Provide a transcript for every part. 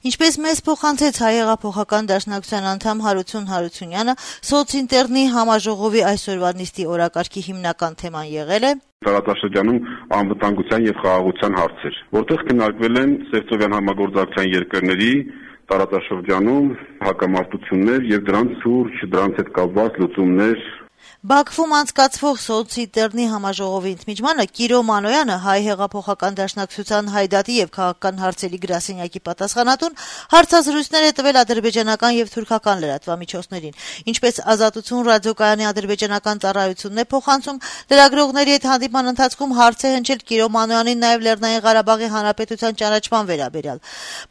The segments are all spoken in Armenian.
Ինչպես մեզ փոխանցեց Հայ հեղափոխական դաշնակցության անդամ Հարություն Հարությունյանը, սոցինտերնի համաժողովի այսօրվա նիստի օրակարգի հիմնական թեման եղել է տարածաշրջանում անվտանգության եւ խաղաղության հարցեր, որտեղ քննարկվել են Սևծովյան համագործակցության երկրների տարածաշրջանում հակամարտություններ եւ դրանց հետ կապված լուծումներ։ Բաքվում անցկացվող սոցինտերնի համաժողովի ընդմիջմանը Կիրո Մանոյանը, Հայ հեղափոխական դաշնակցության Հայդատի եւ քաղաքական հարցերի գրասենյակի պատասխանատուն, հարցազրույցներ է տվել ադրբեջանական եւ թուրքական լրատվամիջոցներին։ Ինչպես Ազատություն ռադիոկայանի ադրբեջանական ծառայությունն է փոխանցում, լրագրողների հետ հանդիպման ընթացքում հարց է հնչել Կիրո Մանոյանին նաեւ Լեռնային Ղարաբաղի Հանրապետության ճանաչման վերաբերյալ։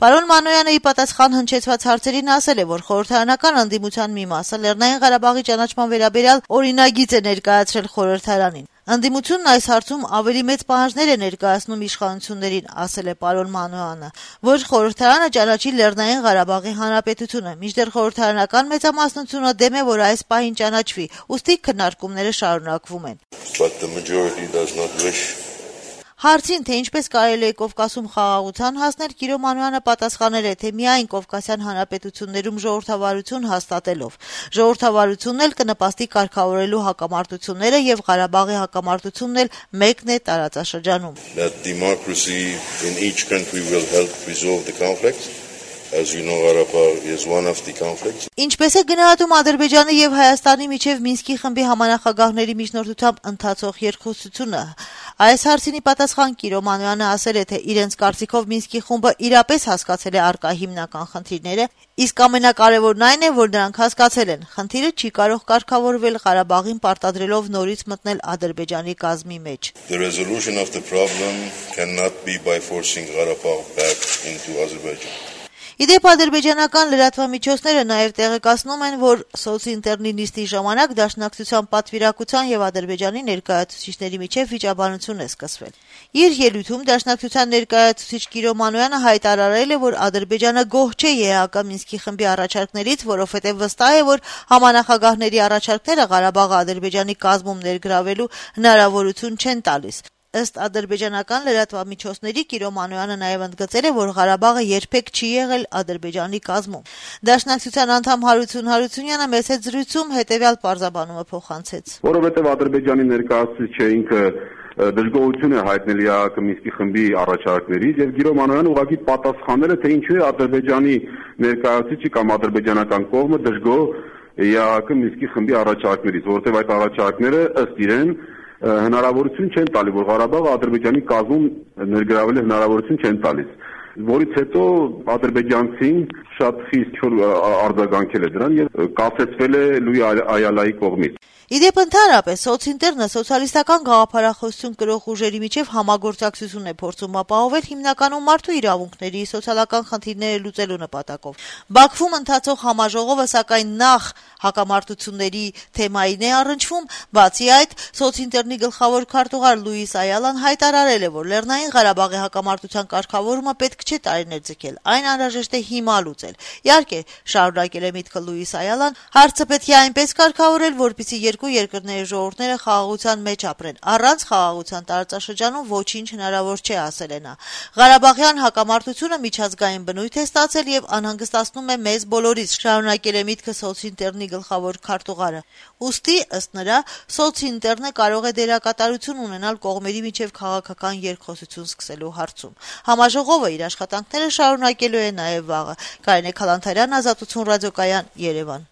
Պարոն Մանոյանը ի պատասխան հնչեցված հարցերին ասել է, որ խորհրդարանական անդիմության մի մասը Լեռնային Ղարաբաղի ճանաչման վերաբերյալ օրինագիծ է ներկայացրել խորհրդարանին։ Անդիմությունն այս հարցում ավելի մեծ պահանջներ է ներկայացնում իշխանություններին, ասել է պարոն Մանոյանը, որ խորհրդարանը ճանաչի Լեռնային Ղարաբաղի Հանրապետությունը, մինչդեռ խորհրդարանական մեծամասնությունը դեմ է, որ այս պահին ճանաչվի, ուստի քննարկումները շարունակվում են։ Հարցին, թե ինչպես կարելի է Կովկասում խաղաղության հասնել, Կիրո Մանոյանը պատասխանել է, թե միայն Կովկասյան հանրապետություններում ժողովրդավարություն հաստատելով։ Ժողովրդավարությունն էլ կնպաստի կարգավորելու հակամարտությունները եւ Ղարաբաղի հակամարտությունն էլ մեկն է տարածաշրջանում։ Ինչպես է գնահատում Ադրբեջանի եւ Հայաստանի միջև Մինսկի խմբի համանախագահների միջնորդությամբ ընթացող երկխոսությունը։ Այս հարցին ի պատասխան Կիրո Մանոյանը ասել է, թե իրենց կարծիքով Մինսկի խումբը իրապես հասկացել է առկա հիմնական խնդիրները, իսկ ամենակարևորն այն է, որ նրանք հասկացել են, խնդիրը չի կարող կարգավորվել Ղարաբաղին պարտադրելով նորից մտնել Ադրբեջանի կազմի մեջ։ Իդեպ ադրբեջանական լրատվամիջոցները նաև տեղեկացնում են, որ սոցինտերնի նիստի ժամանակ Դաշնակցության պատվիրակության եւ Ադրբեջանի ներկայացուցիչների միջև վիճաբանություն է սկսվել։ Իր ելույթում Դաշնակցության ներկայացուցիչ Կիրո Մանոյանը հայտարարել է, որ Ադրբեջանը գոհ չէ ԵԱՀԿ Մինսկի խմբի առաջարկներից, որովհետեւ վստահ է, որ համանախագահների առաջարկները Ղարաբաղը Ադրբեջանի կազմում ներգրավելու հնարավորություն չեն տալիս։ Ըստ ադրբեջանական լրատվամիջոցների Կիրո Մանոյանը նաև ընդգծել է, որ Ղարաբաղը երբեք չի եղել Ադրբեջանի կազմում։ Դաշնակցության անդամ Հարություն Հարությունյանը մեծ հետ զրույցում հետևյալ պարզաբանումը փոխանցեց։ Որովհետև Ադրբեջանի ներկայացուցիչը ինքը դժգոհություն է հայտնել ԵԱՀԿ Մինսկի խմբի առաջարկներից եւ Կիրո Մանոյանը ուղղակի պատասխանել է, թե ինչու է Ադրբեջանի ներկայացուցիչը կամ ադրբեջանական կողմը դժգոհ ԵԱՀԿ Մինսկի խմբի առաջարկներից, որովհետև այդ առաջարկները ըստ իրեն հնարավորություն չեն տալի, որ Ղարաբաղը Ադրբեջանի կազմում ներգրավել է հնարավորություն չեն տալիս, որից հետո ադրբեջանցին շատ խիստ չոր արձագանքել է դրան եւ կասեցվել է Լուի Այալայի կողմից։ Իդեպ ընդհանրապես սոցինտերնը սոցիալիստական գաղափարախոսություն կրող ուժերի միջև համագործակցություն է փորձում ապահովել հիմնականում մարդու իրավունքների, սոցիալական խնդիրները լուծելու նպատակով։ Բաքվում ընթացող համաժողովը սակայն նախ հակամարտությունների թեմային է առնչվում, բացի այդ սոցինտերնի գլխավոր քարտուղար Լուիս Այալան հայտարարել է, որ Լեռնային Ղարաբաղի հակամարտության կարգավորումը պետք չէ տարիներ ձգել, այն անհրաժեշտ է հիմա լուծել։ Իհարկե, շարունակել է միտքը Լուիս Այալան, հարցը պետք է այնպես կարգավորել, որպեսզի երկու երկրների ժողովուրդները խաղաղության մեջ ապրեն։ Առանց խաղաղության տարածաշրջանում ոչինչ հնարավոր չէ, ասել է նա։ Ղարաբաղյան հակամարտությունը միջազգային բնույթ է ստացել եւ անհանգստացնում է մեզ բոլորիս, շարունակել է միտքը սոցինտերնի գլխավոր քարտուղարը։ Ուստի, ըստ նրա, սոցինտերնը կարող է դերակատարություն ունենալ կողմերի միջև քաղաքական երկխոսություն սկսելու հարցում։ Համաժողովը իր աշխատանքները շարունակելու է նաեւ վաղը։ Կարինե Քալանթարյան, Ազատություն ռադիոկայան, Երևան։